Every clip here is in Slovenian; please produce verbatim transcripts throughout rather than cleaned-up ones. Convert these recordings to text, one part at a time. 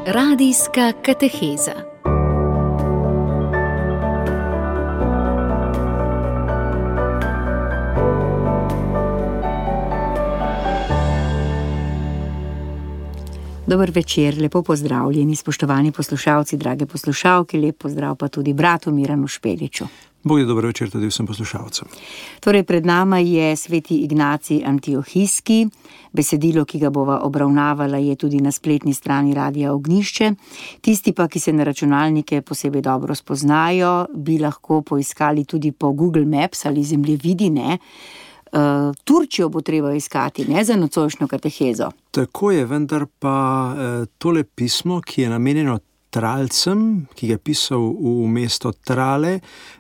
Radijska kateheza. Dober večer, lepo pozdravljeni, spoštovani poslušalci, drage poslušalke, lep pozdrav pa tudi bratu Miranu Špeliču. Bog je dober večer tudi vsem poslušalcem. Torej, pred nama je sveti Ignacij Antiohijski. Besedilo, ki ga bova obravnavala, je tudi na spletni strani Radia Ognjišče. Tisti pa, ki se na računalnike posebej dobro spoznajo, bi lahko poiskali tudi po Google Maps ali zemljevidi, ne? Uh, Turčijo bo treba iskati, ne, za nocojšnjo katehezo. Tako je, vendar pa uh, tole pismo, ki je namenjeno Tralcem, ki ga je pisal v mesto Trale,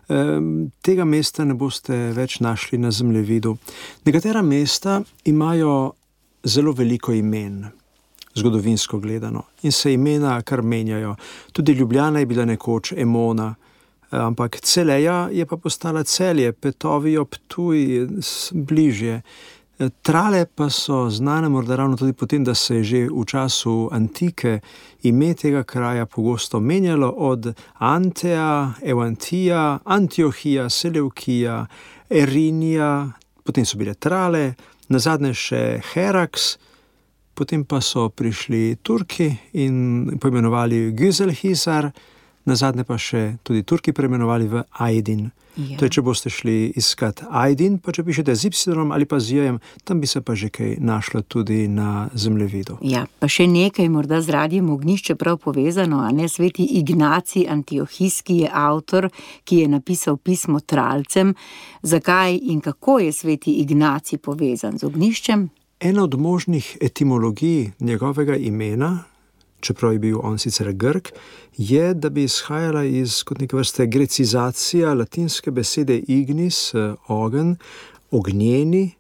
um, tega mesta ne boste več našli na zemljevidu. Nekatera mesta imajo zelo veliko imen, zgodovinsko gledano, in se imena kar menjajo. Tudi Ljubljana je bila nekoč Emona, ampak Celeja je pa postala Celje, Petovijo, Ptuj, bližje. Trale pa so znane morda ravno tudi potem, da se je že v času antike ime tega kraja pogosto menjalo od Anteja, Evantija, Antiohija, Seleukija, Erinija, potem so bile Trale, nazadnje še Heraks, potem pa so prišli Turki in poimenovali Güzelhisar, nazadnje pa še tudi Turki preimenovali v Ajdin. Ja. To je, če boste šli iskat Ajdin, pa če pišete z Y ali pa z J-jem, tam bi se pa že kaj našlo tudi na zemljevidu. Ja, pa še nekaj morda z Radijem Ognjišče prav povezano, a ne, sveti Ignacij Antiohijski je avtor, ki je napisal pismo Tralcem. Zakaj in kako je sveti Ignacij povezan z Ognjiščem? Ena od možnih etimologij njegovega imena, čeprav je bil on sicer Grk, je, da bi izhajala iz kot neke vrste grecizacija latinske besede ignis, ogen, ognjeni,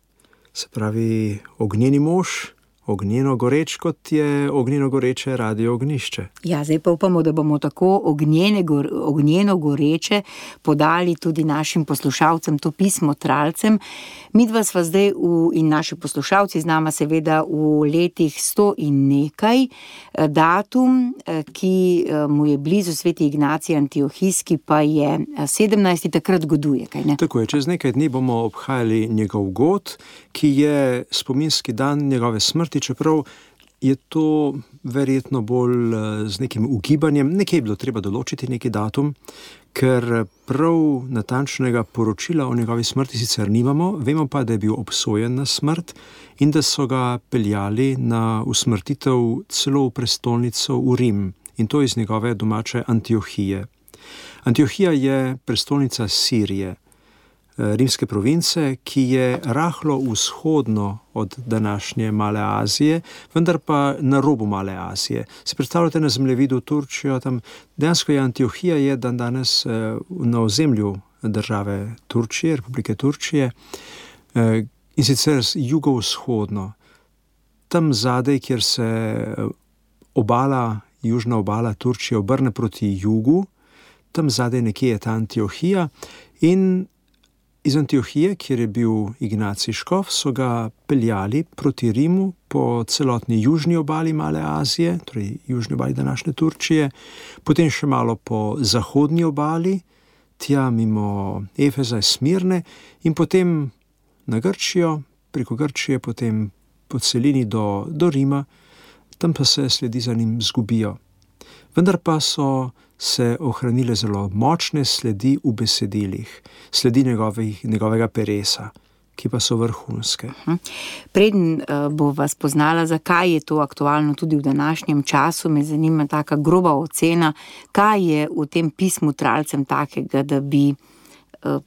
se pravi ognjeni mož, ognjeno goreč, kot je ognjeno goreče Radio Ognjišče. Ja, zdaj pa upamo, da bomo tako ognjene, ognjeno goreče podali tudi našim poslušalcem to pismo Tralcem. Midva sva zdaj v, in naši poslušalci z nama seveda v letih sto in nekaj. Datum, ki mu je blizu sveti Ignacij Antiohijski, pa je sedemnajsti, takrat goduje, kaj ne? Tako je, čez nekaj dni bomo obhajali njegov god, ki je spominski dan njegove smrti, čeprav je to verjetno bolj z nekim ugibanjem. Nekje je bilo treba določiti neki datum, ker prav natančnega poročila o njegovi smrti sicer nimamo, vemo pa, da je bil obsojen na smrt in da so ga peljali na usmrtitev celo v prestolnico v Rim, in to iz njegove domače Antiohije. Antiohija je prestolnica Sirije, rimske province, ki je rahlo vzhodno od današnje Male Azije, vendar pa na robu Male Azije. Se predstavljate na zemljevidu Turčijo, tam dejansko je Antiohija je dan danes na ozemlju države Turčije, Republike Turčije, in sicer jugovzhodno. Tam zadaj, kjer se obala, južna obala Turčije obrne proti jugu, tam zadaj nekje je ta Antiohija, in iz Antiohije, kjer je bil Ignacij škof, so ga peljali proti Rimu po celotni južni obali Male Azije, torej južni obali današnje Turčije, potem še malo po zahodni obali, tja mimo Efeza, Smirne, in potem na Grčijo, preko Grčije, potem po celini do, do Rima, tam pa se sledi za njim zgubijo. Vendar pa so se ohranile zelo močne sledi v besedilih, sledi njegovih, njegovega peresa, ki pa so vrhunske. Preden bo vas poznala, zakaj je to aktualno tudi v današnjem času, me zanima taka groba ocena, kaj je v tem pismu Tralcem takega, da bi uh,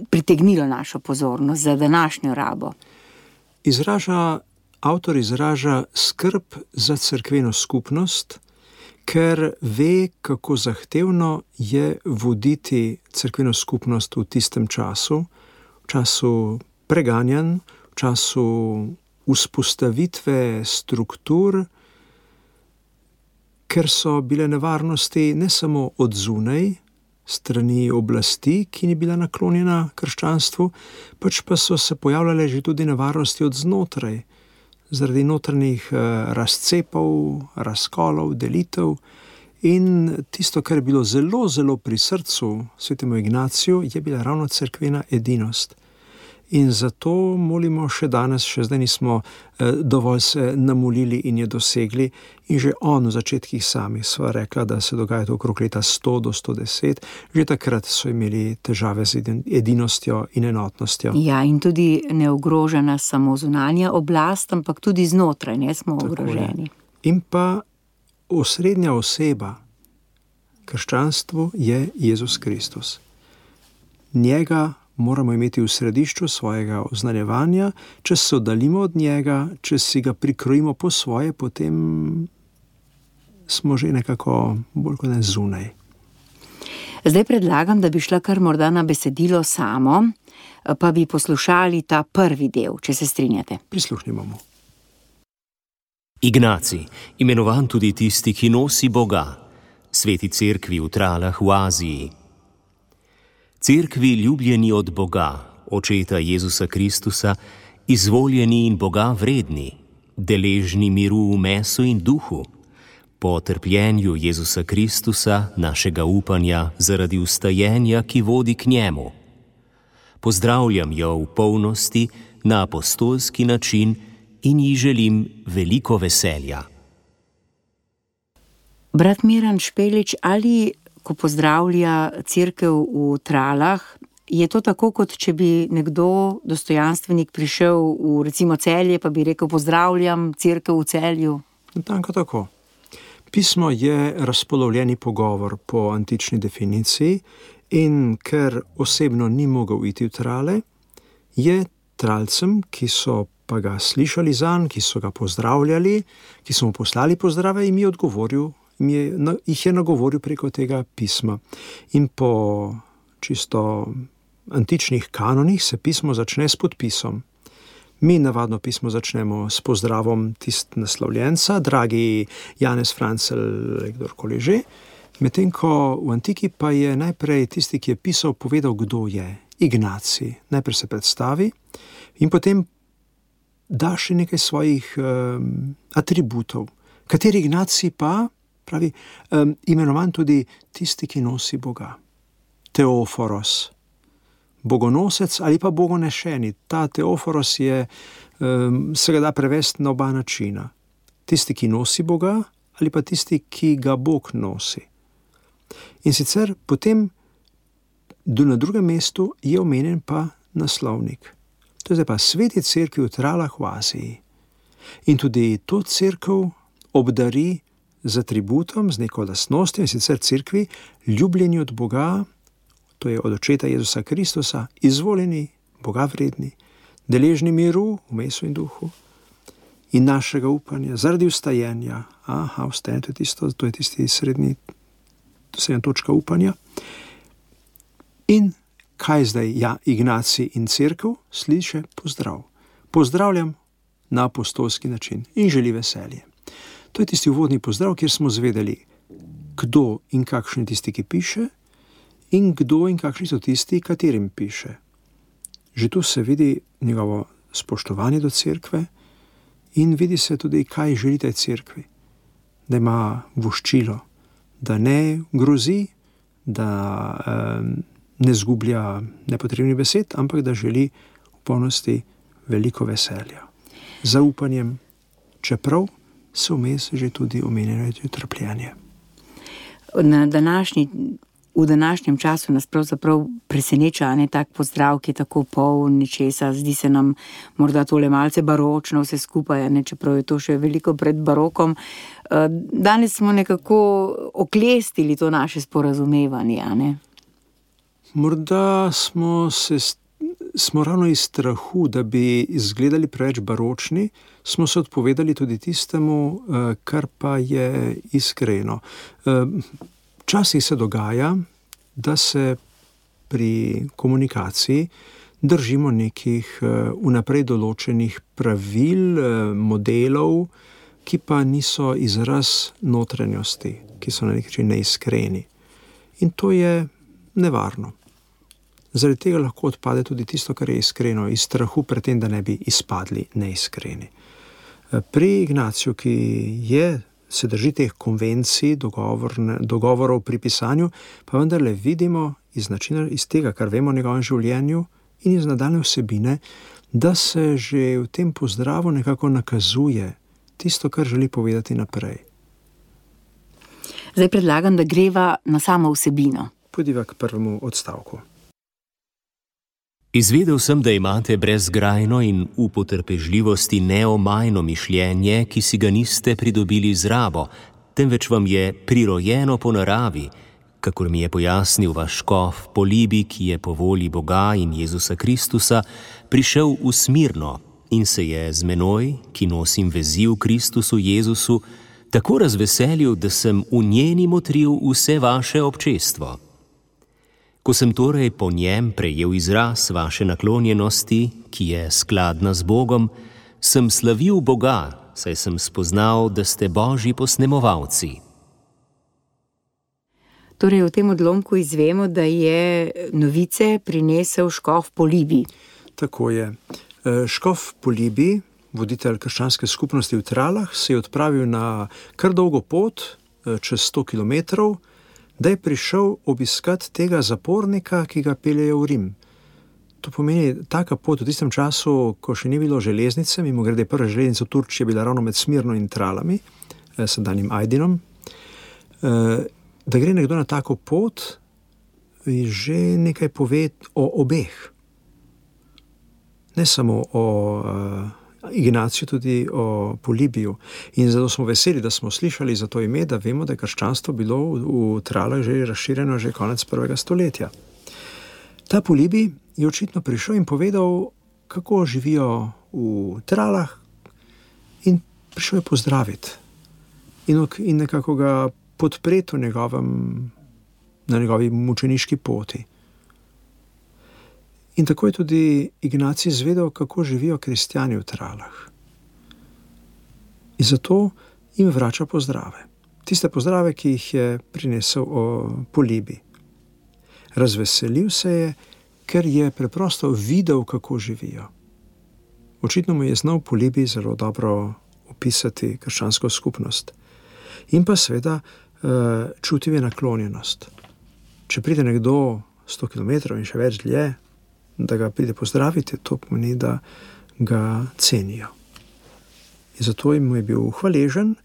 pritegnilo našo pozornost za današnjo rabo. Izraža, avtor izraža skrb za cerkveno skupnost, ker ve, kako zahtevno je voditi cerkveno skupnost v tistem času, v času preganjanj, v času vzpostavitve struktur, ker so bile nevarnosti ne samo od zunaj, strani oblasti, ki ni bila naklonjena krščanstvu, pač pa so se pojavljale že tudi nevarnosti od znotraj, zaradi notranjih razcepov, razkolov, delitev. In tisto, kar je bilo zelo, zelo pri srcu svetemu Ignaciju, je bila ravno cerkvena edinost. In zato molimo še danes, še zdaj nismo dovolj se namolili in je dosegli. In že on v začetkih samih sva rekla, da se dogaja to okrog leta sto do sto deset. Že takrat so imeli težave z edinostjo in enotnostjo. Ja, in tudi ne ogroža nas samo zunanja oblast, ampak tudi znotraj, ne smo ogroženi. In pa osrednja oseba krščanstvu je Jezus Kristus. Njega moramo imeti v središču svojega oznanjevanja. Če se oddaljimo od njega, če si ga prikrojimo po svoje, potem smo že nekako bolj kot ne zunaj. Zdaj predlagam, da bi šla kar morda na besedilo samo, pa bi poslušali ta prvi del, če se strinjate. Prisluhnimo mu. Ignacij, imenovan tudi tisti, ki nosi Boga, sveti cerkvi v Tralah v Aziji. Cerkvi ljubljeni od Boga, očeta Jezusa Kristusa, izvoljeni in Boga vredni, deležni miru v mesu in duhu, po trpljenju Jezusa Kristusa, našega upanja zaradi vstajenja, ki vodi k njemu. Pozdravljam jo v polnosti na apostolski način in ji želim veliko veselja. Brat Miran Špelič, ali ko pozdravlja cerkev v Tralah, je to tako, kot če bi nekdo, dostojanstvenik, prišel v recimo Celje, pa bi rekel pozdravljam cerkev v Celju? Tanko tako. Pismo je razpolovljeni pogovor po antični definiciji in ker osebno ni mogel iti v Trale, je Tralcem, ki so pa ga slišali zanj, ki so ga pozdravljali, ki so mu poslali pozdrave, jim je odgovoril, Je, na, jih je nagovoril preko tega pisma. In po čisto antičnih kanonih se pismo začne s podpisom. Mi navadno pismo začnemo s pozdravom tist naslovljenca, dragi Janez Francel, kdorkoli že, medtem ko v antiki pa je najprej tisti, ki je pisal, povedal, kdo je. Ignacij. Najprej se predstavi in potem da še nekaj svojih um, atributov. Kateri Ignacij pa pravi, um, imenovan tudi tisti, ki nosi Boga. Teoforos, bogonosec ali pa bogonešeni. Ta teoforos je, um, se ga da prevesti na oba načina. Tisti, ki nosi Boga ali pa tisti, ki ga Bog nosi. In sicer potem na drugem mestu je omenjen pa naslovnik. To je zdaj pa sveti cerkvi v Tralah v Aziji. In tudi to cerkev obdari z atributom, z neko lastnostjo, in sicer cerkvi ljubljeni od Boga, to je od očeta Jezusa Kristusa, izvoljeni, Boga vredni, deležni miru v mesu in duhu in našega upanja zaradi vstajenja. Aha, vstajenje, to je tisto, to je tisti srednji, srednja točka upanja. In kaj zdaj? Ja, Ignacij in cerkev sliše pozdrav. Pozdravljam na apostolski način in želi veselje. To je tisti uvodni pozdrav, kjer smo zvedeli, kdo in kakšen je tisti, ki piše, in kdo in kakšni so tisti, katerim piše. Že tu se vidi njegovo spoštovanje do cerkve in vidi se tudi, kaj želi tej cerkvi. Da ima voščilo, da ne grozi, da um, ne zgublja nepotrebnih besed, ampak da želi v polnosti veliko veselja. Zaupanjem, čeprav se vmes že tudi omenjeno trpljenje. Na današnji, v današnjem času nas pravzaprav preseneča ne tak pozdrav, ki je tako poln nečesa. Zdi se nam morda tole malce baročno vse skupaj, ne, čeprav je to še veliko pred barokom. Danes smo nekako oklestili to naše sporazumevanje, ne? Morda smo se smo ravno iz strahu, da bi izgledali preveč baročni, smo se odpovedali tudi tistemu, kar pa je iskreno. Včasih se dogaja, da se pri komunikaciji držimo nekih vnaprej določenih pravil, modelov, ki pa niso izraz notranjosti, ki so na nek način neiskreni. In to je nevarno. Zaradi tega lahko odpade tudi tisto, kar je iskreno, iz strahu pred tem, da ne bi izpadli neiskreni. Pri Ignaciju, ki je, se drži teh konvencij, dogovorov pri pisanju, pa vendarle vidimo iz načina, iz tega, kar vemo o njegovem življenju in iz nadaljne vsebine, da se že v tem pozdravu nekako nakazuje tisto, kar želi povedati naprej. Zdaj predlagam, da greva na samo vsebino. Pojdiva k prvemu odstavku. Izvedel sem, da imate brezgrajno in v potrpežljivosti neomajno mišljenje, ki si ga niste pridobili z rabo, temveč vam je prirojeno po naravi, kakor mi je pojasnil vaš škof Polibi, ki je po volji Boga in Jezusa Kristusa prišel v Smirno in se je z menoj, ki nosim vezi v Kristusu Jezusu, tako razveselil, da sem v njeni motril vse vaše občestvo. Ko sem torej po njem prejel izraz vaše naklonjenosti, ki je skladna z Bogom, sem slavil Boga, saj sem spoznal, da ste Božji posnemovalci. Torej, v tem odlomku izvemo, da je novice prinesel škof Polibi. Tako je. Škof Polibi, voditelj krščanske skupnosti v Tralah, se je odpravil na kar dolgo pot, čez sto kilometrov, da je prišel obiskat tega zapornika, ki ga peljejo v Rim. To pomeni, taka pot v tistem času, ko še ni bilo železnice, mimogrede prva železnica v Turčiji je bila ravno med Smirno in Tralami, sedanjim Ajdinom, da gre nekdo na tako pot, že nekaj pove o obeh. Ne samo o Ignaciju, tudi o Polibiju. In zato smo veseli, da smo slišali za to ime, da vemo, da je krščanstvo bilo v Tralah že razširjeno že konec prvega stoletja. Ta Polibi je očitno prišel in povedal, kako živijo v Tralah, in prišel je pozdraviti in, in nekako ga podpreti v njegovem, na njegovi mučeniški poti. In tako je tudi Ignacij izvedel, kako živijo kristjani v Tralah. In zato jim vrača pozdrave. Tiste pozdrave, ki jih je prinesel o Polibi. Razveselil se je, ker je preprosto videl, kako živijo. Očitno mu je znal Polibi zelo dobro opisati krščansko skupnost. In pa seveda čutil je naklonjenost. Če pride nekdo sto kilometrov in še več dlje, da ga pride pozdraviti, to pomeni, da ga cenijo. In zato mu je bil hvaležen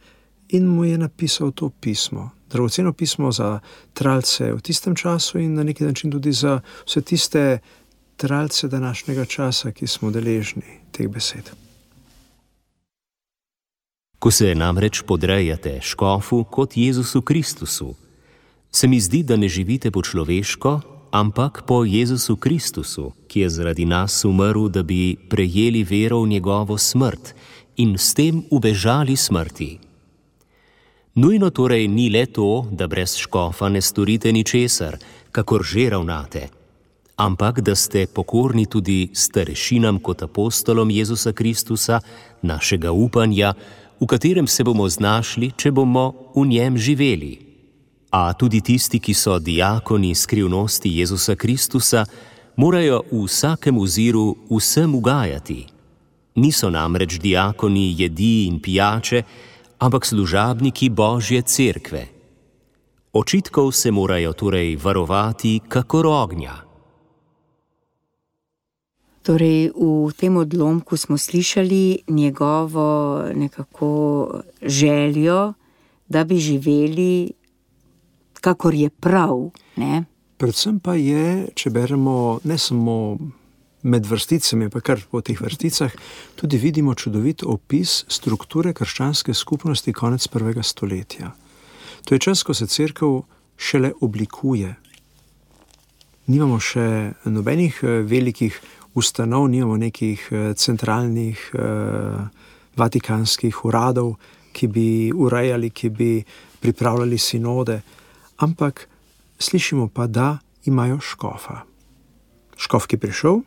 in mu je napisal to pismo. Dragoceno pismo za Tralce v tistem času in na neki način tudi za vse tiste Tralce današnjega časa, ki smo deležni teh besed. Ko se namreč podrejate škofu kot Jezusu Kristusu, se mi zdi, da ne živite po človeško, ampak po Jezusu Kristusu, ki je zaradi nas umrl, da bi prejeli vero v njegovo smrt in s tem ubežali smrti. Nujno torej ni le to, da brez škofa ne storite ničesar, kakor že ravnate, ampak da ste pokorni tudi starešinam kot apostolom Jezusa Kristusa, našega upanja, v katerem se bomo znašli, če bomo v njem živeli. A tudi tisti, ki so diakoni skrivnosti Jezusa Kristusa, morajo v vsakem oziru vsem ugajati. Niso namreč diakoni jedi in pijače, ampak služabniki Božje cerkve. Očitkov se morajo torej varovati kakor ognja. Torej, v tem odlomku smo slišali njegovo nekako željo, da bi živeli kakor je prav, ne? Predvsem pa je, če beremo ne samo med vrsticami, pa kar po teh vrsticah, tudi vidimo čudovit opis strukture krščanske skupnosti konec prvega stoletja. To je čas, ko se cerkev šele oblikuje. Nimamo še nobenih velikih ustanov, nimamo nekih centralnih vatikanskih uradov, ki bi urejali, ki bi pripravljali sinode, ampak slišimo pa, da imajo škofa. Škof, ki je prišel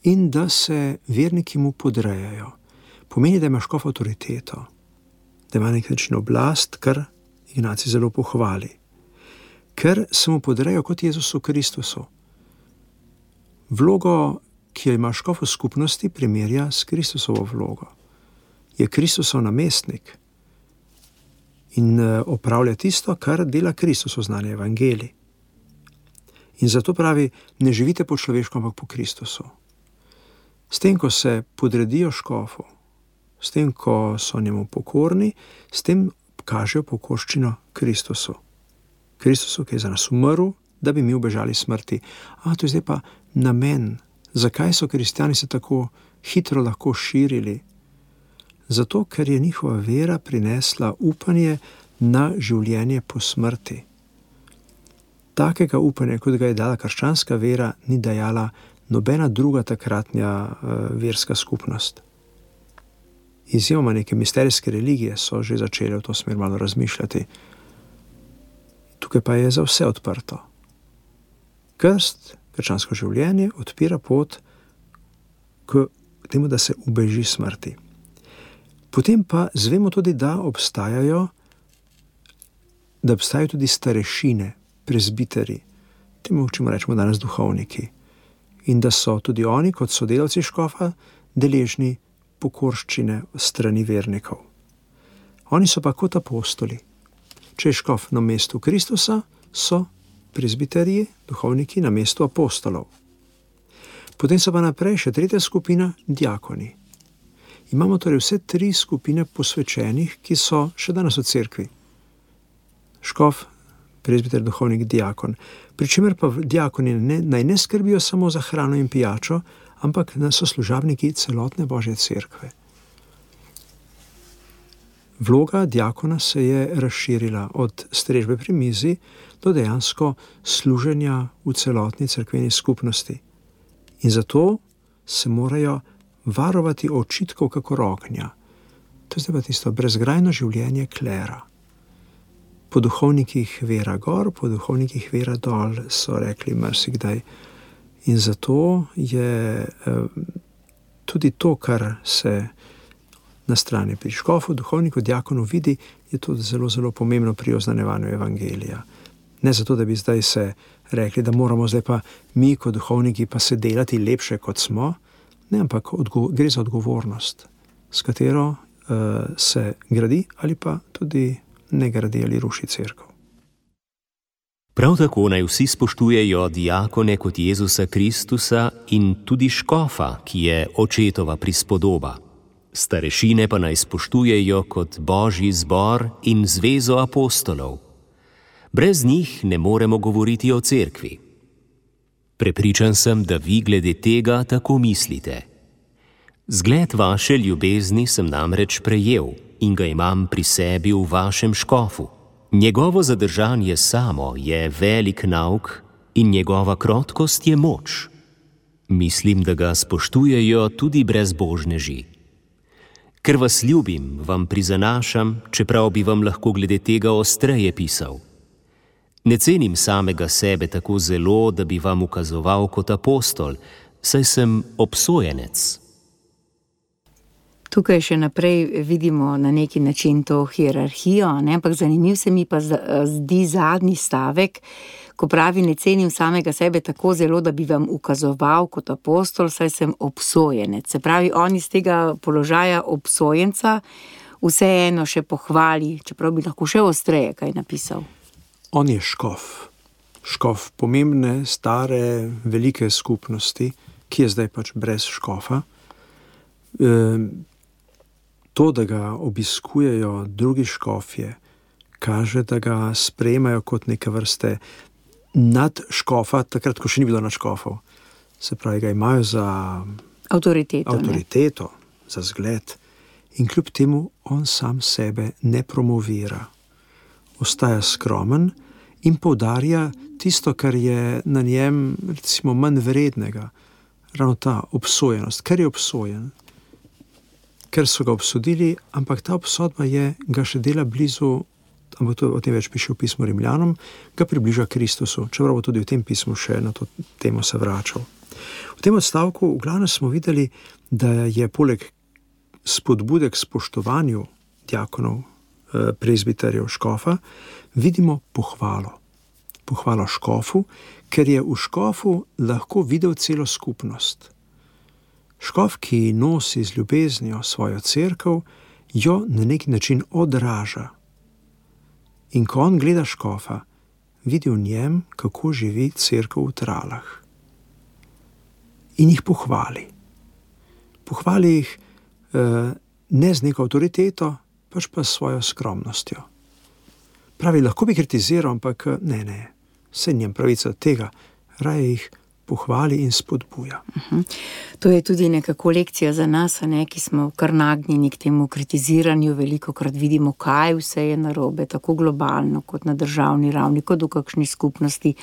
in da se verniki mu podrejajo. Pomeni, da ima škof avtoriteto, da ima nek način oblast, kar Ignacij zelo pohvali. Ker se mu podrejajo kot Jezusu Kristusu. Vlogo, ki jo ima škof v skupnosti, primerja s Kristusovo vlogo. je Kristusov namestnik in opravlja tisto, kar dela Kristus v znani evangeliji. In zato pravi, ne živite po človeško, ampak po Kristusu. S tem, ko se podredijo škofu, s tem, ko so njemu pokorni, s tem kažejo pokorščino Kristusu. Kristusu, ki je za nas umrl, da bi mi ubežali smrti. A to je zdaj pa namen. Zakaj so kristjani se tako hitro lahko širili? Zato, ker je njihova vera prinesla upanje na življenje po smrti. Takega upanja, kot ga je dala krščanska vera, ni dajala nobena druga takratnja uh, verska skupnost. Izjemoma neke misterijske religije so že začele v to smer malo razmišljati. Tukaj pa je za vse odprto. Krst, krščansko življenje, odpira pot k temu, da se ubeži smrti. Potem pa zvemo tudi, da obstajajo, da obstajajo tudi starešine, prezbiteri, temu, čemu rečemo danes duhovniki, in da so tudi oni, kot sodelavci škofa, deležni pokorščine strani vernikov. Oni so pa kot apostoli. Če je škof na mestu Kristusa, so prezbiterji, duhovniki, na mestu apostolov. Potem so pa naprej še tretja skupina, diakoni. Imamo torej vse tri skupine posvečenih, ki so še danes v cerkvi. Škof, prezbiter, duhovnik, diakon. Pričemer pa diakoni ne, naj ne skrbijo samo za hrano in pijačo, ampak so služabniki celotne Božje cerkve. Vloga diakona se je razširila od strežbe pri mizi do dejansko služenja v celotni cerkveni skupnosti. In zato se morajo varovati očitkov kakor ognja. To je zdaj pa tisto brezgrajno življenje klera. Po duhovnikih vera gor, po duhovnikih vera dol, so rekli marsikdaj. In zato je eh, tudi to, kar se na strani pri škofu, duhovniku, diakonu vidi, je tudi zelo, zelo pomembno pri oznanjevanju evangelija. Ne zato, da bi zdaj se rekli, da moramo zdaj pa mi kot duhovniki pa se delati lepše, kot smo, ne, ampak odgo- gre za odgovornost, s katero uh, se gradi ali pa tudi ne gradi ali ruši cerkev. Prav tako naj vsi spoštujejo diakone kot Jezusa Kristusa in tudi škofa, ki je očetova prispodoba. Starešine pa naj spoštujejo kot Božji zbor in zvezo apostolov. Brez njih ne moremo govoriti o cerkvi. Prepričan sem, da vi glede tega tako mislite. Zgled vaše ljubezni sem namreč prejel in ga imam pri sebi v vašem škofu. Njegovo zadržanje samo je velik nauk in njegova krotkost je moč. Mislim, da ga spoštujejo tudi brezbožneži. Ker vas ljubim, vam prizanašam, čeprav bi vam lahko glede tega ostreje pisal. Ne cenim samega sebe tako zelo, da bi vam ukazoval kot apostol, saj sem obsojenec. Tukaj še naprej vidimo na neki način to hierarhijo, ne? Ampak zanimiv se mi pa zdi zadnji stavek, ko pravi, ne cenim samega sebe tako zelo, da bi vam ukazoval kot apostol, saj sem obsojenec. Se pravi, on iz tega položaja obsojenca vseeno še pohvali, čeprav bi lahko še ostreje kaj napisal. On je škof. Škof pomembne, stare, velike skupnosti, ki je zdaj pač brez škofa. E, to, da ga obiskujejo drugi škofje, kaže, da ga sprejemajo kot neke vrste nad škofa, takrat, ko še ni bilo nad škofov. Se pravi, ga imajo za avtoriteto, avtoriteto za zgled. In kljub temu on sam sebe ne promovira. Ostaja skromen in poudarja tisto, kar je na njem, recimo, manj vrednega. Ravno ta obsojenost. Ker je obsojen, ker so ga obsodili, ampak ta obsodba je, ga še dela blizu, ampak to o tem več piše v pismu Rimljanom, ga približa Kristusu, čeprav bo tudi v tem pismu še na to temo se vračal. V tem odstavku v glavnem smo videli, da je poleg spodbude k spoštovanju diakonov, prezbiterjev, škofa, vidimo pohvalo. Pohvalo škofu, ker je v škofu lahko videl celo skupnost. Škof, ki nosi z ljubeznijo svojo cerkev, jo na neki način odraža. In ko on gleda škofa, vidi v njem, kako živi cerkev v Tralah. In jih pohvali. Pohvali jih eh, ne z neko avtoriteto, pač pa s svojo skromnostjo. Pravi, lahko bi kritiziral, ampak ne, ne, se njem pravica tega, raje jih pohvali in spodbuja. Uh-huh. To je tudi nekako lekcija za nas, ne, ki smo kar nagnjeni k temu kritiziranju, velikokrat vidimo, kaj vse je narobe, tako globalno kot na državni ravni, kot v kakšni skupnosti.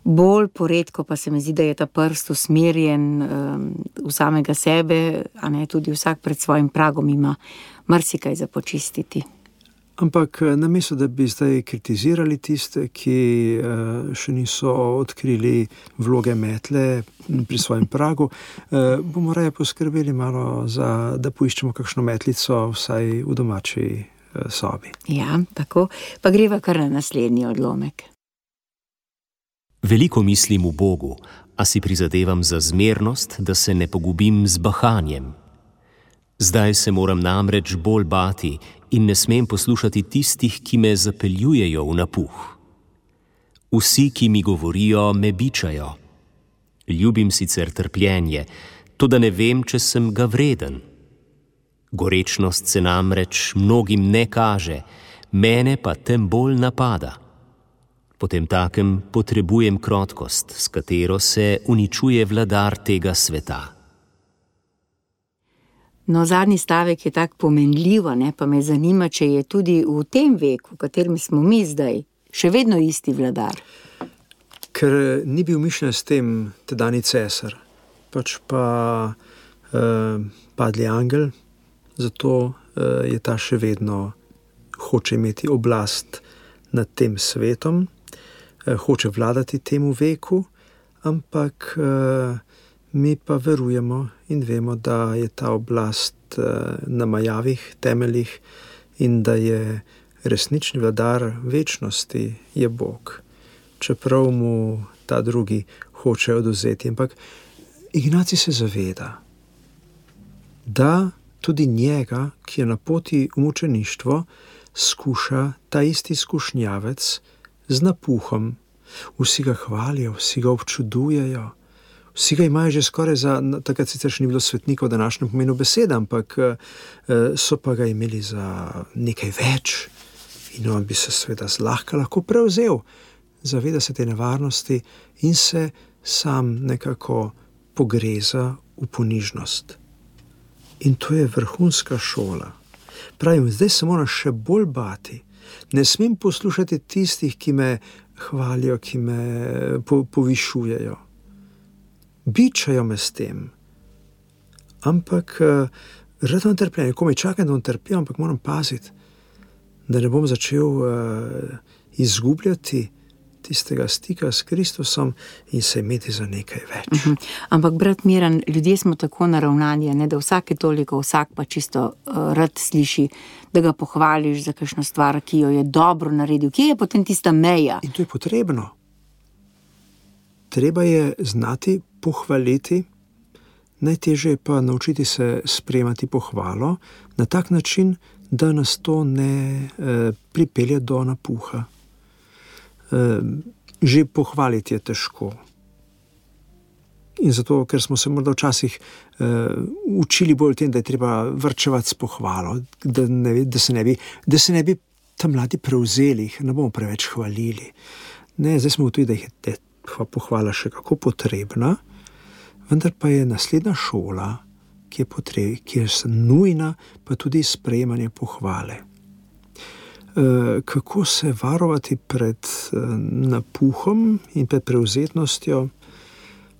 Bolj poredko pa se mi zdi, da je ta prst usmerjen um, v samega sebe, a ne, tudi vsak pred svojim pragom ima marsikaj za počistiti. Ampak namesto, da bi zdaj kritizirali tiste, ki še niso odkrili vloge metle pri svojem pragu, bomo raje poskrbeli malo za, da poiščemo kakšno metlico vsaj v domači sobi. Ja, tako. Pa greva kar na naslednji odlomek. Veliko mislim v Bogu, a si prizadevam za zmernost, da se ne pogubim z bahanjem. Zdaj se moram namreč bolj bati in ne smem poslušati tistih, ki me zapeljujejo v napuh. Vsi, ki mi govorijo, me bičajo. Ljubim sicer trpljenje, toda ne vem, če sem ga vreden. Gorečnost se namreč mnogim ne kaže, mene pa tem bolj napada. Potemtakem potrebujem krotkost, s katero se uničuje vladar tega sveta. No, zadnji stavek je tak pomenljiv, ne, pa me zanima, če je tudi v tem veku, v katerem smo mi zdaj, še vedno isti vladar. Ker ni bil mišljen s tem tedajni cesar, pač pa eh, padli angel, zato eh, je ta še vedno hoče imeti oblast nad tem svetom, eh, hoče vladati temu veku, ampak eh, mi pa verujemo in vemo, da je ta oblast na majavih temeljih in da je resnični vladar večnosti je Bog. Čeprav mu ta drugi hoče odvzeti. Ampak Ignacij se zaveda, da tudi njega, ki je na poti v mučeništvo, skuša ta isti skušnjavec z napuhom. Vsi ga hvalijo, vsi ga občudujejo. Vsi ga imajo že skoraj za, takrat sicer še ni bilo svetnikov v današnjem pomenu besede, ampak so pa ga imeli za nekaj več in on bi se seveda zlahka lahko prevzel. Zaveda se te nevarnosti in se sam nekako pogreza v ponižnost. In to je vrhunska šola. Pravim, zdaj se moram še bolj bati. Ne smem poslušati tistih, ki me hvalijo, ki me po, povišujejo. Bičajo me s tem, ampak uh, rad vam trpljenje, ko me čakam, da vam trpijo, ampak moram paziti, da ne bom začel uh, izgubljati tistega stika s Kristusom in se imeti za nekaj več. Uh-huh. Ampak, brat Miran, ljudje smo tako naravnani, ne, da vsake toliko, vsak pa čisto uh, rad sliši, da ga pohvališ za kakšno stvar, ki jo je dobro naredil. Kje je potem tista meja? In to je potrebno. Treba je znati pohvaliti, najtežje je pa naučiti se sprejemati pohvalo na tak način, da nas to ne eh, pripelje do napuha. Eh, že pohvaliti je težko. In zato, ker smo se morda včasih eh, učili bolj tem, da je treba varčevati s pohvalo, da, ne, da, se ne bi, da se ne bi tam mladi prevzeli, ne bomo preveč hvalili. Ne, zdaj smo tudi, da jih je pohvala še kako potrebna, vendar pa je naslednja šola, ki je, potreb, ki je nujna, pa tudi sprejemanje pohvale. E, kako se varovati pred e, napuhom in pred prevzetnostjo?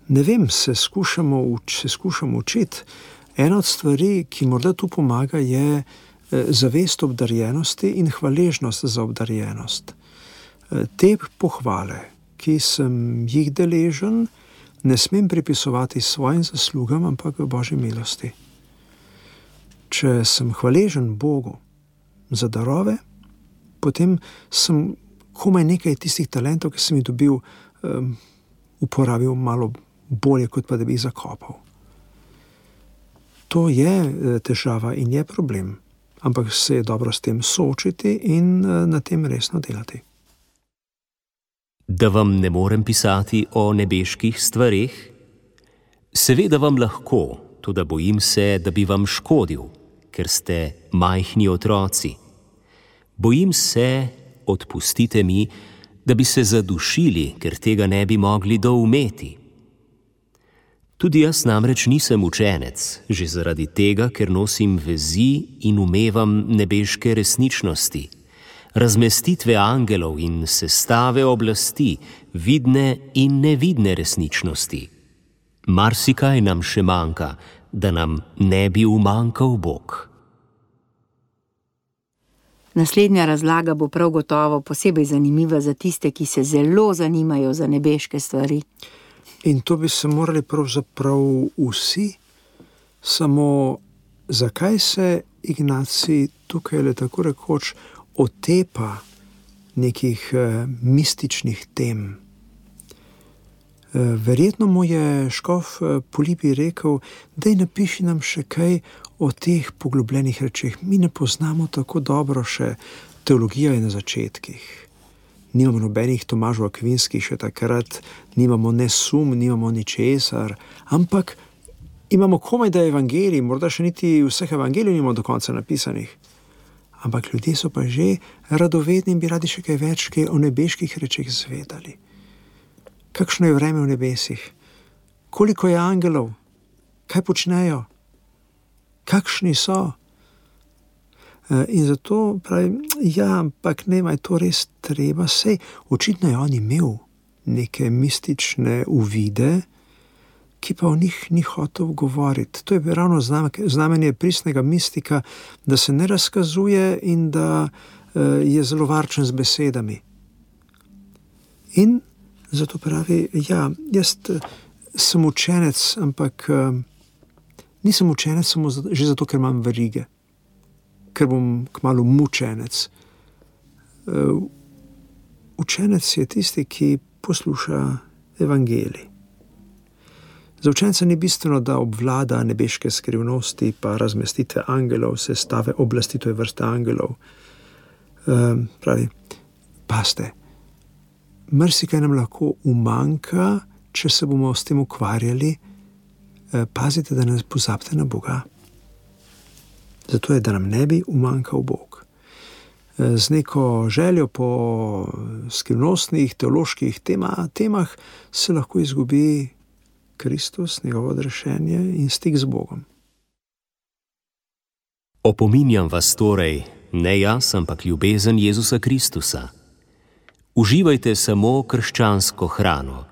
Ne vem, se skušamo, se skušamo učiti. Ena od stvari, ki morda tu pomaga, je e, zavest obdarjenosti in hvaležnost za obdarjenost. E, te pohvale, ki sem jih deležen, ne smem pripisovati svojim zaslugam, ampak v Božji milosti. Če sem hvaležen Bogu za darove, potem sem komaj nekaj tistih talentov, ki sem jih dobil, um, uporabil malo bolje, kot pa da bi jih zakopal. To je težava in je problem. ampak se je dobro s tem soočiti in na tem resno delati. Da vam ne morem pisati o nebeških stvareh? Seveda vam lahko, toda bojim se, da bi vam škodil, ker ste majhni otroci. Bojim se, odpustite mi, da bi se zadušili, ker tega ne bi mogli doumeti. Tudi jaz namreč nisem učenec, že zaradi tega, ker nosim vezi in umevam nebeške resničnosti, razmestitve angelov in sestave oblasti, vidne in nevidne resničnosti. Marsikaj nam še manjka, da nam ne bi umanjkal Bog. Naslednja razlaga bo prav gotovo posebej zanimiva za tiste, ki se zelo zanimajo za nebeške stvari. In to bi se morali pravzaprav vsi, samo zakaj se Ignacij tukaj le tako rekoč otepa nekih eh, mističnih tem? Eh, verjetno mu je škof eh, Polibi rekel, daj napiši nam še kaj o teh poglobljenih rečeh. Mi ne poznamo tako dobro še teologija je na začetkih. Nimamo nobenih Tomažov Akvinskih še takrat, nimamo ne sum, nimamo ničesar, ampak imamo komaj da evangelij, morda še niti vseh evangelij nimamo do konca napisanih. Ampak ljudje so pa že radovedni in bi radi še kaj več kaj o nebeških rečeh zvedali. Kakšno je vreme v nebesih? Koliko je angelov? Kaj počnejo? Kakšni so? In zato pravi, ja, ampak ne, je to res treba, sej očitno je on imel neke mistične uvide, ki pa o njih ni hotel govoriti. To je ravno znamenje pristnega mistika, da se ne razkazuje in da je zelo varčen z besedami. In zato pravi, ja, jaz sem učenec, ampak nisem učenec samo že zato, ker imam verige, ker bom kmalu mučenec. Učenec je tisti, ki posluša evangelij. Za učenca ni bistveno, da obvlada nebeške skrivnosti, pa razmestitve angelov, sestave oblasti, to je vrsta angelov. Um, pravi, paste, marsikaj nam lahko umanjka, če se bomo s tem ukvarjali, pazite, da ne pozabite na Boga. Zato je, da nam ne bi umanjkal Bog. Z neko željo po skrivnostnih, teoloških tema, temah se lahko izgubi Kristus, njegovo odrešenje in stik z Bogom. Opominjam vas torej, ne jaz, ampak ljubezen Jezusa Kristusa. Uživajte samo krščansko hrano,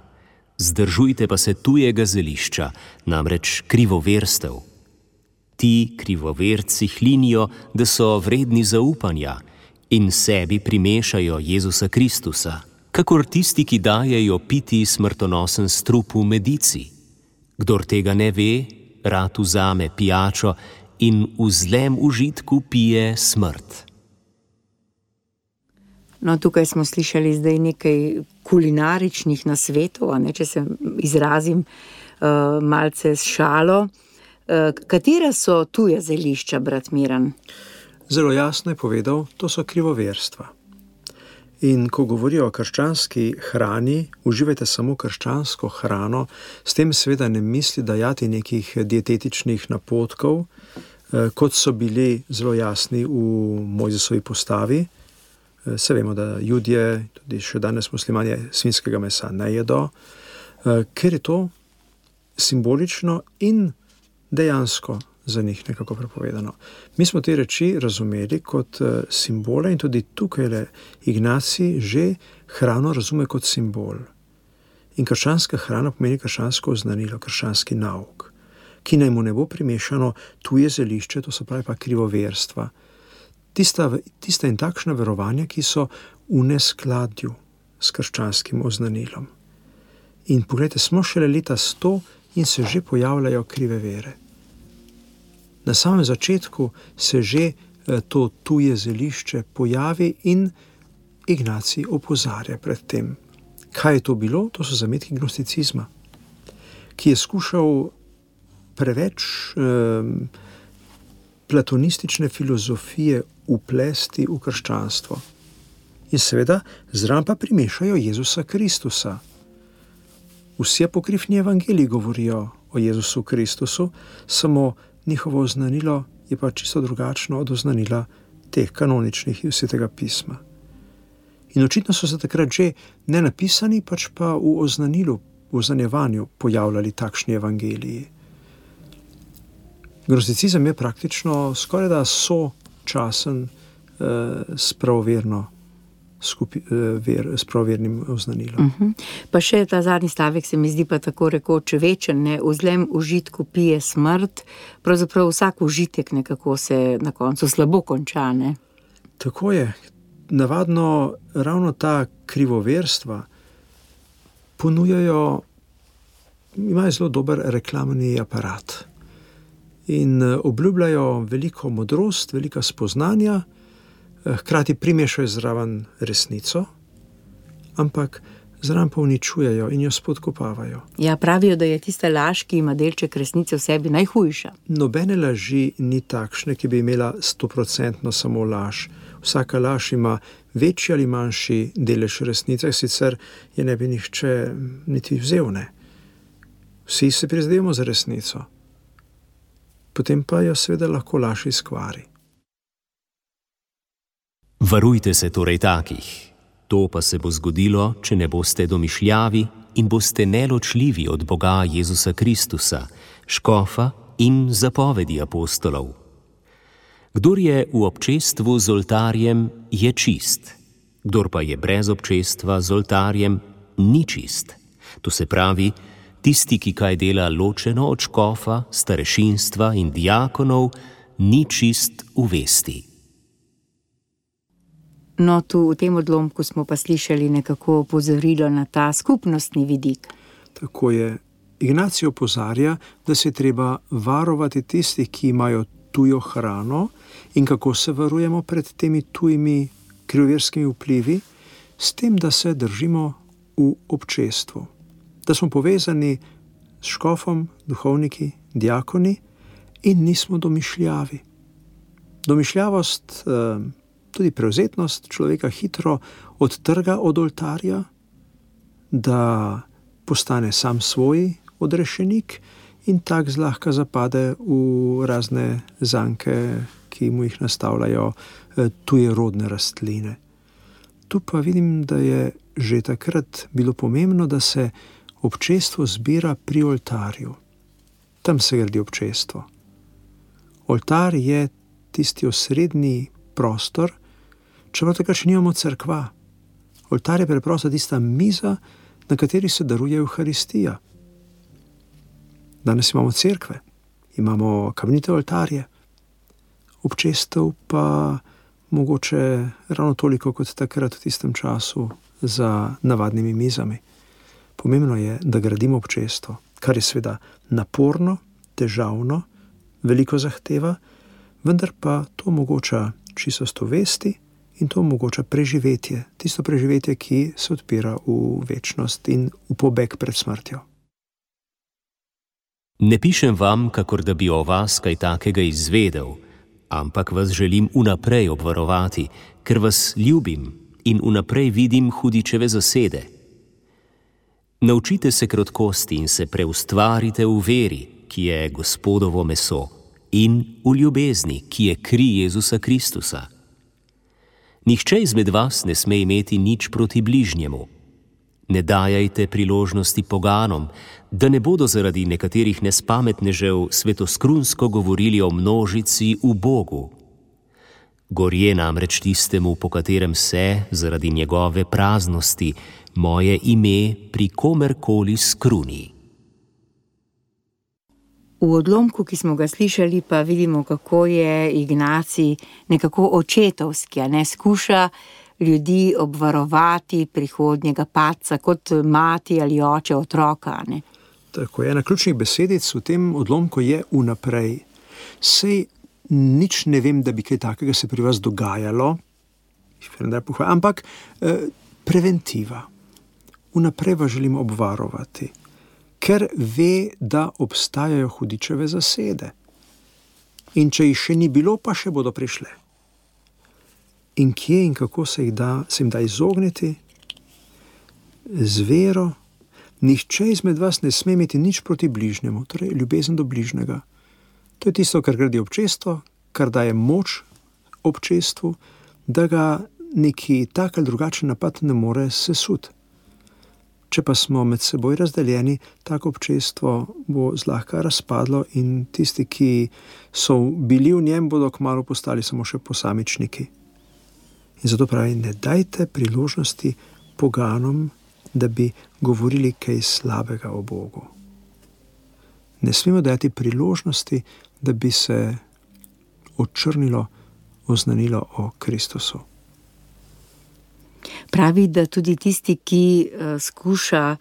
zdržujte pa se tujega zelišča, namreč krivoverstev. Ti krivoverci hlinijo, da so vredni zaupanja in sebi primešajo Jezusa Kristusa, kakor tisti, ki dajejo piti smrtonosen strup v medici. Kdor tega ne ve, rad vzame pijačo in v zlem užitku pije smrt. No, tukaj smo slišali zdaj nekaj kulinaričnih nasvetov, a ne, če se izrazim uh, malce s šalo. Uh, katera so tuja zelišča, brat Miran? Zelo jasno je povedal, to so krivoverstva. In ko govorijo o krščanski hrani, uživajte samo krščansko hrano, s tem seveda ne misli dajati nekih dietetičnih napotkov, kot so bili zelo jasni v Mojzesovi postavi. Se vemo, da Judje, tudi še danes muslimani, svinjskega mesa ne jedo, ker je to simbolično in dejansko za njih nekako prepovedano. Mi smo te reči razumeli kot simbole in tudi tukaj Ignacij že hrano razume kot simbol. In krščanska hrana pomeni krščansko oznanilo, krščanski nauk, ki naj mu ne bo primešano tuje zelišče, to se pravi pa krivoverstva. Tista, tista in takšna verovanja, ki so v neskladju s krščanskim oznanilom. In pogledajte, smo šele leta sto in se že pojavljajo krive vere. Na samem začetku se že to tuje zelišče pojavi in Ignacij opozarja pred tem. Kaj je to bilo? To so zametki gnosticizma, ki je skušal preveč um, platonistične filozofije uplesti v krščanstvo. In seveda zraven pa primešajo Jezusa Kristusa. Vsi apokrifni evangeliji govorijo o Jezusu Kristusu, samo njihovo oznanilo je pa čisto drugačno od oznanila teh kanoničnih iz Svetega pisma. In očitno so se takrat že ne napisani, pač pa v oznanilu, v oznanjevanju pojavljali takšni evangeliji. Gnosticizem je praktično skoraj da sočasen eh, s pravoverno Skupi, ver, s pravovernim oznanilom. Uh-huh. Pa še ta zadnji stavek se mi zdi pa tako rekoč večen, ne? V zlem užitku pije smrt, pravzaprav vsak užitek nekako se na koncu slabo konča, ne? Tako je. Navadno ravno ta krivoverstva ponujajo, imajo zelo dober reklamni aparat in obljubljajo veliko modrost, velika spoznanja, hkrati primešajo zraven resnico, ampak zraven pa uničujejo in jo spodkopavajo. Ja, pravijo, da je tista laž, ki ima delček resnice v sebi, najhujša. Nobene laži ni takšne, ki bi imela stoprocentno samo laž. Vsaka laž ima večji ali manjši delež resnice, sicer je ne bi nihče niti vzel, ne. Vsi se prizadevamo za resnico. Potem pa jo seveda lahko laž izkvari. Varujte se torej takih. To pa se bo zgodilo, če ne boste domišljavi in boste neločljivi od Boga Jezusa Kristusa, škofa in zapovedi apostolov. Kdor je v občestvu z oltarjem, je čist. Kdor pa je brez občestva z oltarjem, ni čist. To se pravi, tisti, ki kaj dela ločeno od škofa, starešinstva in diakonov, ni čist v vesti. No, tu v tem odlomku smo pa slišali nekako opozorilo na ta skupnostni vidik. Tako je. Ignacij opozarja, da se treba varovati tistih, ki imajo tujo hrano in kako se varujemo pred temi tujimi krivoverskimi vplivi, s tem, da se držimo v občestvu. Da smo povezani s škofom, duhovniki, diakoni in nismo domišljavi. Domišljavost, tudi prevzetnost človeka hitro odtrga od oltarja, da postane sam svoj odrešenik in tak zlahka zapade v razne zanke, ki mu jih nastavljajo tuje rodne rastline. Tu pa vidim, da je že takrat bilo pomembno, da se občestvo zbira pri oltarju. Tam se gradi občestvo. Oltar je tisti osrednji prostor, čeprav takrat še nimamo cerkva. Oltar je preprosto tista miza, na kateri se daruje Evharistija. Danes imamo cerkve, imamo kamnite oltarje, občestev pa mogoče ravno toliko kot takrat v tistem času za navadnimi mizami. Pomembno je, da gradimo občestvo, kar je seveda naporno, težavno, veliko zahteva, vendar pa to omogoča čistost vesti in to omogoča preživetje, tisto preživetje, ki se odpira v večnost in v pobeg pred smrtjo. Ne pišem vam, kakor da bi o vas kaj takega izvedel, ampak vas želim vnaprej obvarovati, ker vas ljubim in vnaprej vidim hudičeve zasede. Naučite se krotkosti in se preustvarite v veri, ki je Gospodovo meso, in v ljubezni, ki je kri Jezusa Kristusa. Nihče izmed vas ne sme imeti nič proti bližnjemu. Ne dajajte priložnosti poganom, da ne bodo zaradi nekaterih nespametnežev svetoskrunsko govorili o množici v Bogu. Gorje namreč tistemu, po katerem se, zaradi njegove praznosti, moje ime pri komerkoli skruni. V odlomku, ki smo ga slišali, pa vidimo, kako je Ignacij nekako očetovski, a ne skuša ljudi obvarovati prihodnjega padca, kot mati ali oče otroka, ne. Tako je, ena ključnih besedic v tem odlomku je vnaprej. Sej nič ne vem, da bi kaj takega se pri vas dogajalo, ampak eh, preventiva. Vnaprej vas želim obvarovati, ker ve, da obstajajo hudičeve zasede. In če jih še ni bilo, pa še bodo prišle. In kje in kako se, jih da, se jim da izogniti? Z vero. Nihče izmed vas ne sme imeti nič proti bližnjemu, torej ljubezen do bližnjega. To je tisto, kar gradi občestvo, kar daje moč občestvu, da ga neki tak ali drugačen napad ne more sesuti. Če pa smo med seboj razdeljeni, tako občestvo bo zlahka razpadlo in tisti, ki so bili v njem, bodo kmalu postali samo še posamičniki. In zato pravi, ne dajte priložnosti poganom, da bi govorili kaj slabega o Bogu. Ne smemo dati priložnosti, da bi se očrnilo oznanilo o Kristusu. Pravi, da tudi tisti, ki uh, skuša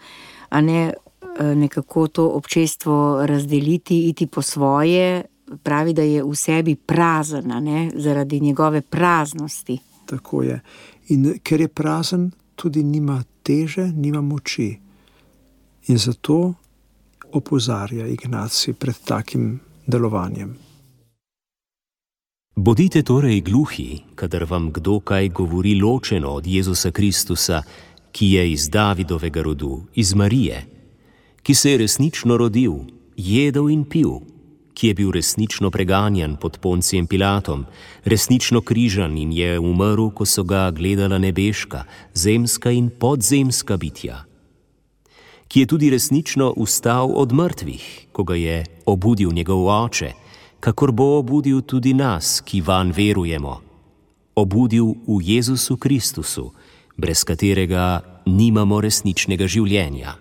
a ne, uh, nekako to občestvo razdeliti, iti po svoje, pravi, da je v sebi prazen, a ne, zaradi njegove praznosti. Tako je. In ker je prazen, tudi nima teže, nima moči. In zato opozarja Ignacij pred takim delovanjem. Bodite torej gluhi, kadar vam kdo kaj govori ločeno od Jezusa Kristusa, ki je iz Davidovega rodu, iz Marije, ki se je resnično rodil, jedel in pil, ki je bil resnično preganjan pod Poncijem Pilatom, resnično križan in je umrl, ko so ga gledala nebeška, zemska in podzemska bitja, ki je tudi resnično vstal od mrtvih, ko ga je obudil njegov oče, kakor bo obudil tudi nas, ki vanj verujemo, obudil v Jezusu Kristusu, brez katerega nimamo resničnega življenja.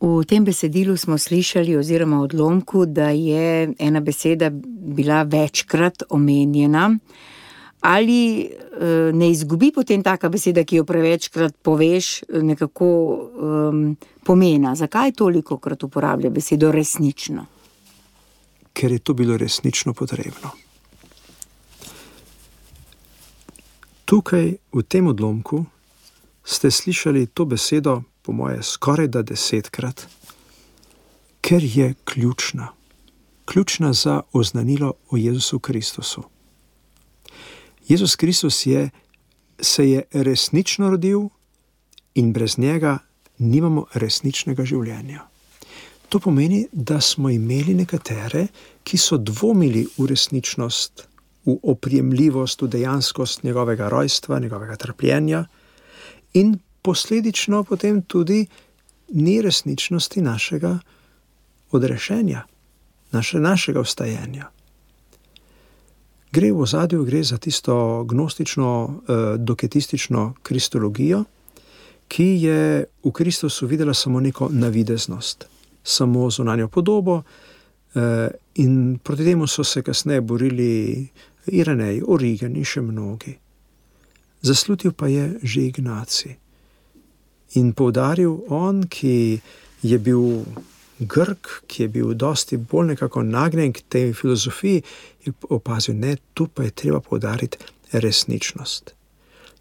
V tem besedilu smo slišali oziroma odlomku, da je ena beseda bila večkrat omenjena. Ali ne izgubi potem taka beseda, ki jo prevečkrat poveš, nekako um, pomena? Zakaj tolikokrat uporablja besedo resnično? Ker je to bilo resnično potrebno. Tukaj, v tem odlomku, ste slišali to besedo, po moje, skoraj da desetkrat, ker je ključna. Ključna za oznanilo o Jezusu Kristusu. Jezus Kristus je, se je resnično rodil in brez njega nimamo resničnega življenja. To pomeni, da smo imeli nekatere, ki so dvomili v resničnost, v oprijemljivost, v dejanskost njegovega rojstva, njegovega trpljenja in posledično potem tudi ni resničnosti našega odrešenja, naše, našega vstajenja. Gre v ozadju, gre za tisto gnostično, eh, doketistično kristologijo, ki je v Kristusu videla samo neko navideznost, samo zunanjo podobo, eh, in proti temu so se kasneje borili Irenej, Origen in še mnogi. Zaslutil pa je že Ignacij in poudaril on, ki je bil Grk, ki je bil dosti bolj nekako nagnjen k tej filozofiji, je opazil, ne, tu pa je treba poudariti resničnost.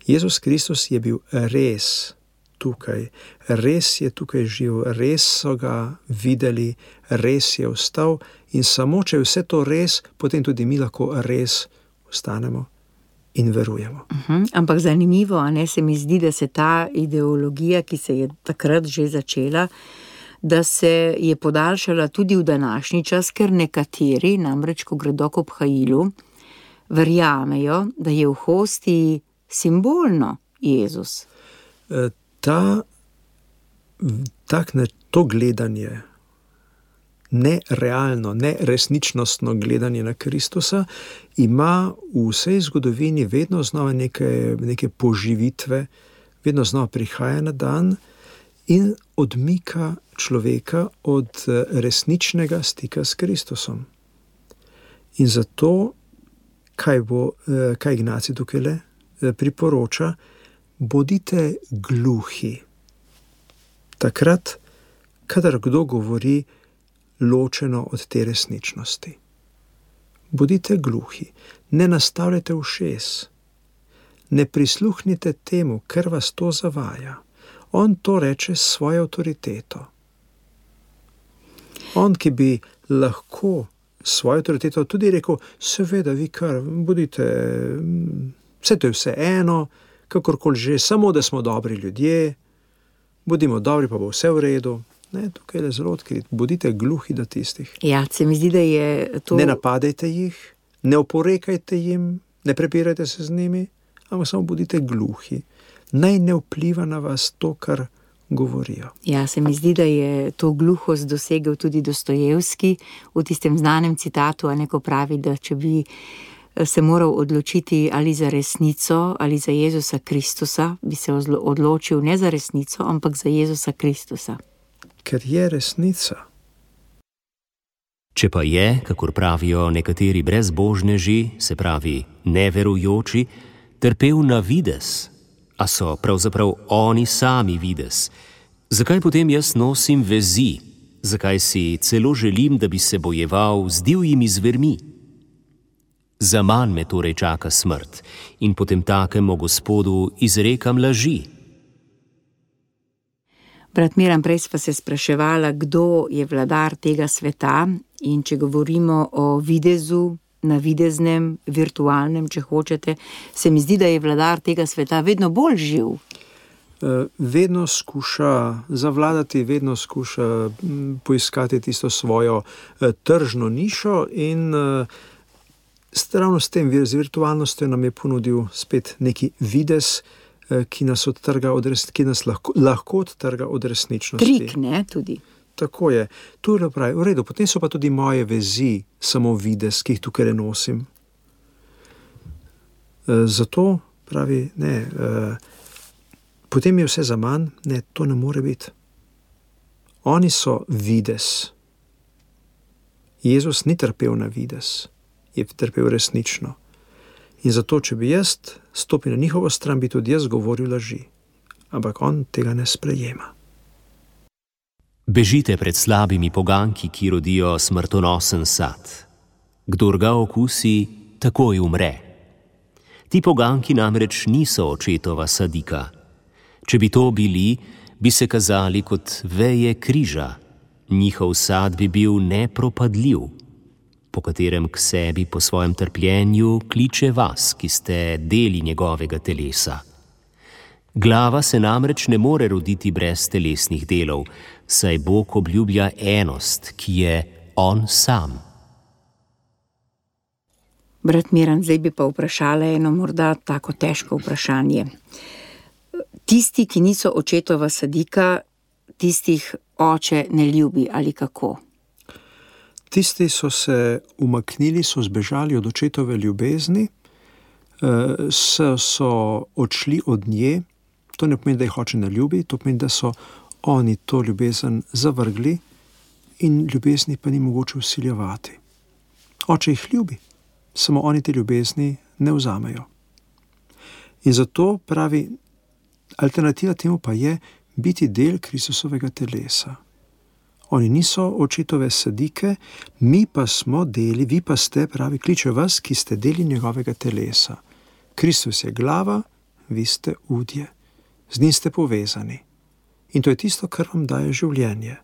Jezus Kristus je bil res tukaj, res je tukaj živ, res so ga videli, res je vstal in samo, če je vse to res, potem tudi mi lahko res vstanemo in verujemo. Uh-huh. Ampak zanimivo, a ne, se mi zdi, da se ta ideologija, ki se je takrat že začela, da se je podaljšala tudi v današnji čas, ker nekateri, namreč ko gredo k obhajilu, verjamejo, da je v hostiji simbolno Jezus. E, ta, tak, ne, to gledanje, nerealno, neresničnostno gledanje na Kristusa, ima v vsej zgodovini vedno znova neke, neke poživitve, vedno znova prihaja na dan in odmika človeka od resničnega stika s Kristusom. In zato, kaj, bo, kaj Ignacij tukaj le priporoča, bodite gluhi. Takrat, kadar kdo govori ločeno od te resničnosti. Bodite gluhi, ne nastavljajte ušes, ne prisluhnite temu, ker vas to zavaja. On to reče s svojo avtoriteto. On, ki bi lahko svojo avtoriteto tudi rekel, seveda, vi kar, bodite, vse to je vse eno, kakorkoli že, samo da smo dobri ljudje, bodimo dobri, pa bo vse v redu. Ne, tukaj je zelo odkrit, bodite gluhi do tistih. Ja, se mi zdi, da je to... Ne napadajte jih, ne oporekajte jim, ne prepirajte se z njimi, ampak samo bodite gluhi. Naj ne vpliva na vas to, kar govorijo. Ja, se mi zdi, da je to gluhost dosegel tudi Dostojevski v tistem znanem citatu, a neko pravi, da če bi se moral odločiti ali za resnico ali za Jezusa Kristusa, bi se odločil ne za resnico, ampak za Jezusa Kristusa. Ker je resnica. Če pa je, kakor pravijo nekateri brezbožneži, se pravi neverujoči, trpel na vides, a so pravzaprav oni sami vides, zakaj potem jaz nosim vezi, zakaj si celo želim, da bi se bojeval z divjimi zvermi? Za manj me torej čaka smrt in potem takemu Gospodu izrekam laži. Brat Miran, prej sva se spraševala, kdo je vladar tega sveta, in če govorimo o videzu, navideznem, virtualnem, če hočete, se mi zdi, da je vladar tega sveta vedno bolj živ. Vedno skuša zavladati, vedno skuša poiskati tisto svojo tržno nišo in ravno s tem, z virtualnostjo nam je ponudil spet neki videz, ki nas odtrga od res, ki nas lahko, lahko odtrga od resničnosti. Trik, ne, tudi. Tako je. Tu je pravi, v redu, potem so pa tudi moje vezi samo videz, ki jih tukaj nosim. Zato pravi, ne, potem je vse za manj, ne, to ne more biti. Oni so videz. Jezus ni trpel na videz, je trpel resnično. In zato, če bi jaz stopil na njihovo stran, bi tudi jaz govoril laži. Ampak on tega ne sprejema. Bežite pred slabimi poganki, ki rodijo smrtonosen sad. Kdor ga okusi, takoj umre. Ti poganki namreč niso očetova sadika. Če bi to bili, bi se kazali kot veje križa. Njihov sad bi bil nepropadljiv, po katerem k sebi po svojem trpljenju kliče vas, ki ste deli njegovega telesa. Glava se namreč ne more roditi brez telesnih delov, saj Bog obljublja enost, ki je on sam. Brat Miran, zdaj bi pa vprašala eno morda tako težko vprašanje. Tisti, ki niso očetova sadika, tistih oče ne ljubi ali kako? Tisti so se umaknili, so zbežali od očetove ljubezni, so, so odšli od nje. To ne pomeni, da jih oče ne ljubi, to pomeni, da so oni to ljubezen zavrgli in ljubezni pa ni mogoče vsiljevati. Oče jih ljubi, samo oni te ljubezni ne vzamejo. In zato pravi, alternativa temu pa je biti del Kristusovega telesa. Oni niso očetove sadike, mi pa smo deli, vi pa ste, pravi, kliče vas, ki ste deli njegovega telesa. Kristus je glava, vi ste udje. Z njim ste povezani. In to je tisto, kar vam daje življenje.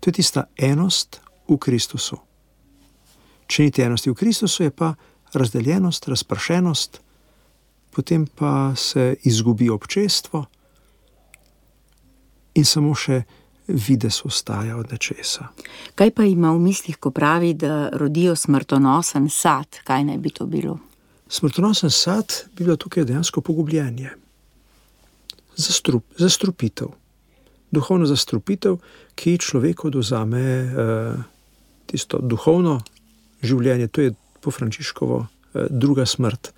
To je tista enost v Kristusu. Če ni te enosti v Kristusu, je pa razdeljenost, razpršenost, potem pa se izgubi občestvo in samo še videz ostaja od nečesa. Kaj pa ima v mislih, ko pravi, da rodijo smrtonosen sad? Kaj naj bi to bilo? Smrtonosen sad bi bilo tukaj dejansko pogubljenje. Zastrup, zastrupitev. Duhovno zastrupitev, ki človeku odvzame eh, tisto duhovno življenje. To je po Frančiškovo eh, druga smrt.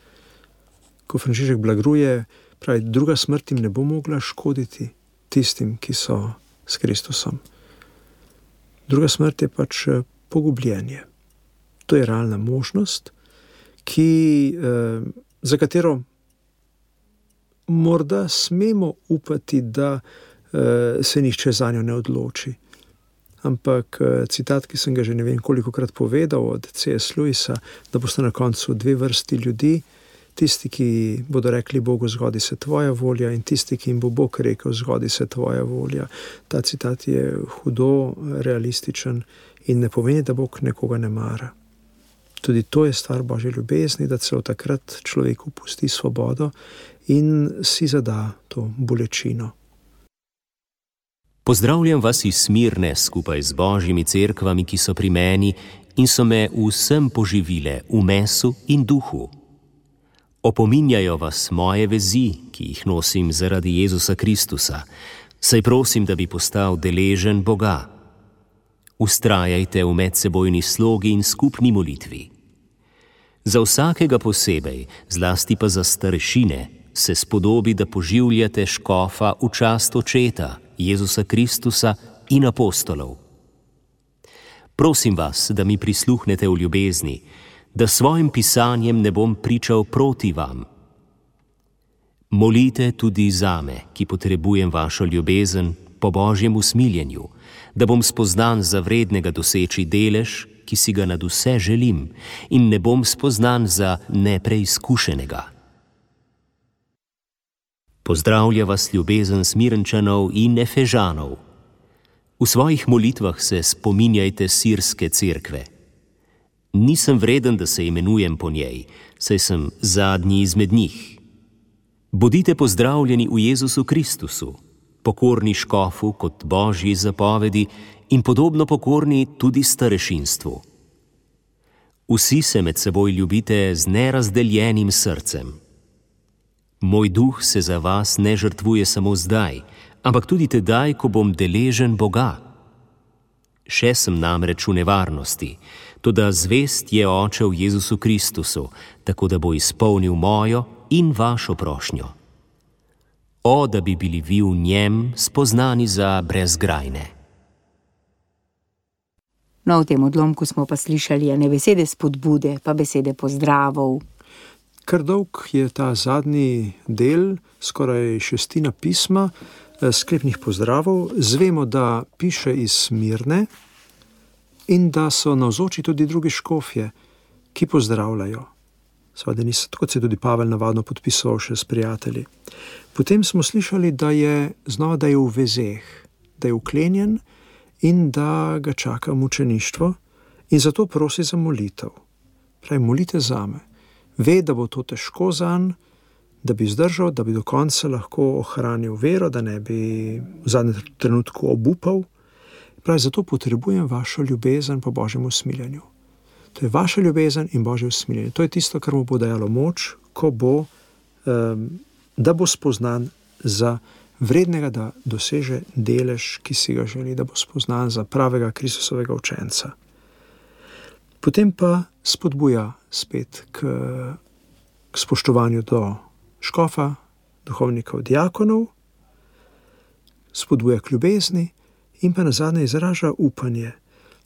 Ko Frančišek blagruje, pravi, druga smrt jim ne bo mogla škoditi tistim, ki so s Kristusom. Druga smrt je pač pogubljenje. To je realna možnost, ki, eh, za katero morda smemo upati, da eh, se nihče zanjo ne odloči. Ampak eh, citat, ki sem ga že ne vem kolikokrat povedal od C S Lewisa, da boste na koncu dve vrsti ljudi, tisti, ki bodo rekli Bogu, zgodi se tvoja volja, in tisti, ki jim bo Bog rekel, zgodi se tvoja volja. Ta citat je hudo realističen in ne pomeni, da Bog nekoga ne mara. Tudi to je stvar Božje ljubezni, da celo takrat človeku pusti svobodo in si zada to bolečino. Pozdravljam vas iz Smirne skupaj z Božjimi cerkvami, ki so pri meni in so me vsem poživile v mesu in duhu. Opominjajo vas moje vezi, ki jih nosim zaradi Jezusa Kristusa, saj prosim, da bi postal deležen Boga. Ustrajajte v medsebojni slogi in skupni molitvi. Za vsakega posebej, zlasti pa za starešine, se spodobi, da poživljate škofa v čast očeta, Jezusa Kristusa in apostolov. Prosim vas, da mi prisluhnete v ljubezni, da svojim pisanjem ne bom pričal proti vam. Molite tudi zame, ki potrebujem vašo ljubezen po Božjem usmiljenju, da bom spoznan za vrednega doseči delež, ki si ga nad vse želim, in ne bom spoznan za nepreizkušenega. Pozdravlja vas ljubezen Smirnčanov in Efežanov. V svojih molitvah se spominjajte sirske cerkve. Nisem vreden, da se imenujem po njej, saj sem zadnji izmed njih. Bodite pozdravljeni v Jezusu Kristusu, pokorni škofu kot Božji zapovedi in podobno pokorni tudi starešinstvu. Vsi se med seboj ljubite z nerazdeljenim srcem. Moj duh se za vas ne žrtvuje samo zdaj, ampak tudi tedaj, ko bom deležen Boga. Še sem namreč v nevarnosti, toda zvest je Oče v Jezusu Kristusu, tako da bo izpolnil mojo in vašo prošnjo. O, da bi bili vi v njem spoznani za brezgrajne. No, v tem odlomku smo pa slišali ne besede spodbude, pa besede pozdravov. Kar dolg je ta zadnji del, skoraj šestina pisma, sklepnih pozdravov. Zvemo, da piše iz Smirne in da so navzoči tudi drugi škofje, ki pozdravljajo. Seveda niso, tako se tudi Pavel navadno podpisoval še s prijatelji. Potem smo slišali, da je znova, da je v vezeh, da je uklenjen in da ga čaka mučeništvo in zato prosi za molitev. Pravi, molite zame. Ve, da bo to težko zanj, da bi zdržal, da bi do konca lahko ohranil vero, da ne bi v zadnjem trenutku obupal. Pravi, zato potrebujem vašo ljubezen po Božjem usmiljenju. To je vaša ljubezen in Božje usmiljenje. To je tisto, kar mu bo dajalo moč, ko bo, um, da bo spoznan za vrednega, da doseže delež, ki si ga želi, da bo spoznan za pravega Kristusovega učenca. Potem pa spodbuja spet k, k spoštovanju do škofa, duhovnikov, diakonov, spodbuja k ljubezni in pa nazadnje izraža upanje,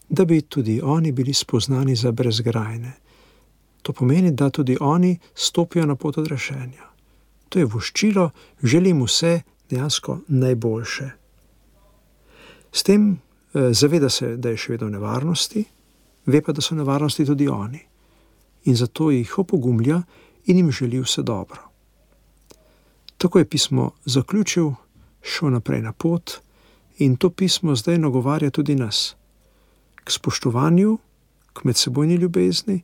da bi tudi oni bili spoznani za brezgrajne. To pomeni, da tudi oni stopijo na pot odrešenja. To je voščilo, želim vse dejansko najboljše. S tem eh, zaveda se, da je še vedno v nevarnosti, ve pa, da so nevarnosti tudi oni. In zato jih opogumlja in jim želi vse dobro. Tako je pismo zaključil, šel naprej na pot in to pismo zdaj nagovarja tudi nas. K spoštovanju, k medsebojni ljubezni,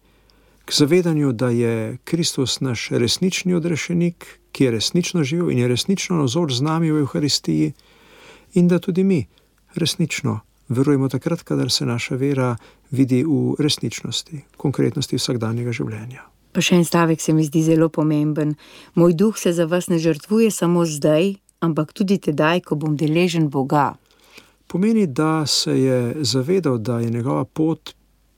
k zavedanju, da je Kristus naš resnični odrešenik, ki je resnično živel in je resnično navzoč z nami v Evharistiji in da tudi mi resnično verujemo takrat, kadar se naša vera vidi v resničnosti, v konkretnosti vsakdanjega življenja. Pa še en stavek se mi zdi zelo pomemben. Moj duh se za vas ne žrtvuje samo zdaj, ampak tudi tedaj, ko bom deležen Boga. Pomeni, da se je zavedal, da je njegova pot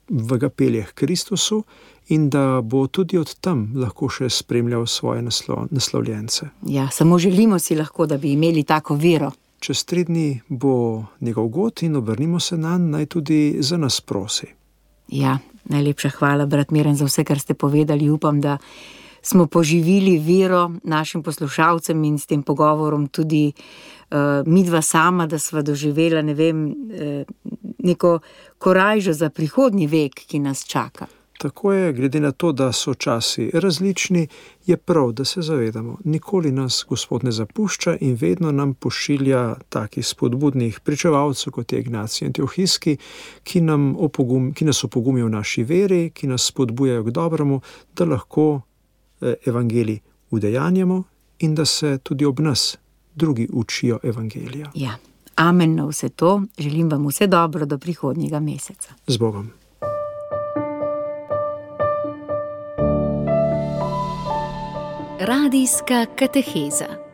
v ga pelje k Kristusu in da bo tudi od tam lahko še spremljal svoje naslo, naslovljence. Ja, samo želimo si lahko, da bi imeli tako vero. Čez tri dni bo njegov god in obrnimo se nanj, naj tudi za nas prosi. Ja, najlepša hvala, brat Miran, za vse, kar ste povedali. Upam, da smo poživili vero našim poslušalcem in s tem pogovorom tudi uh, midva sama, da sva doživela, ne vem, uh, neko korajžo za prihodnji vek, ki nas čaka. tako je, glede na to, da so časi različni, je prav, da se zavedamo, nikoli nas Gospod ne zapušča in vedno nam pošilja takih spodbudnih pričevalcev, kot je Ignacij Antiohijski, ki, nam opogum, ki nas opogumijo v naši veri, ki nas spodbujajo k dobremu, da lahko evangelij udejanjamo in da se tudi ob nas drugi učijo evangelija. Ja, amen na vse to. Želim vam vse dobro do prihodnjega meseca. Z Bogom. Radijska kateheza.